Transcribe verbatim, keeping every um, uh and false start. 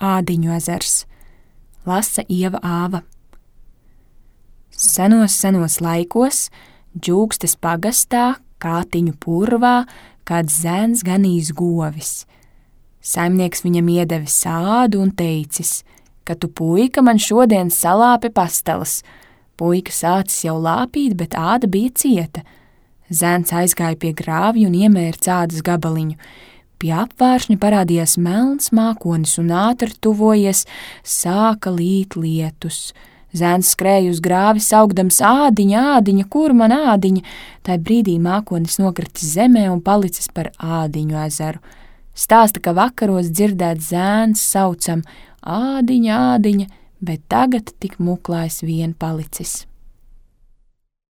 Ādiņu ezers. Lasa Ieva Āva. Senos, senos laikos, Džūkstes pagastā, Kātiņu purvā, kāds zēns ganījis govis. Saimnieks viņam iedevis ādu un teicis, ka tu, puika, man šodien salāpi pastelas. Puika sācis jau lāpīt, bet āda bija cieta. Zēns aizgāja pie grāvja un iemēra ādas gabaliņu. Pie apvāršņa parādījās melns mākonis un ātri tuvojies sāka līt lietus. Zēns skrēja uz grāvi saukdams ādiņa, ādiņa, kur man ādiņa? Tai brīdī mākonis nokritis zemē un palicis par Ādiņu ezeru. Stāsta, ka vakaros dzirdēts zēns saucam ādiņa, ādiņa, bet tagad tik muklājs vien palicis.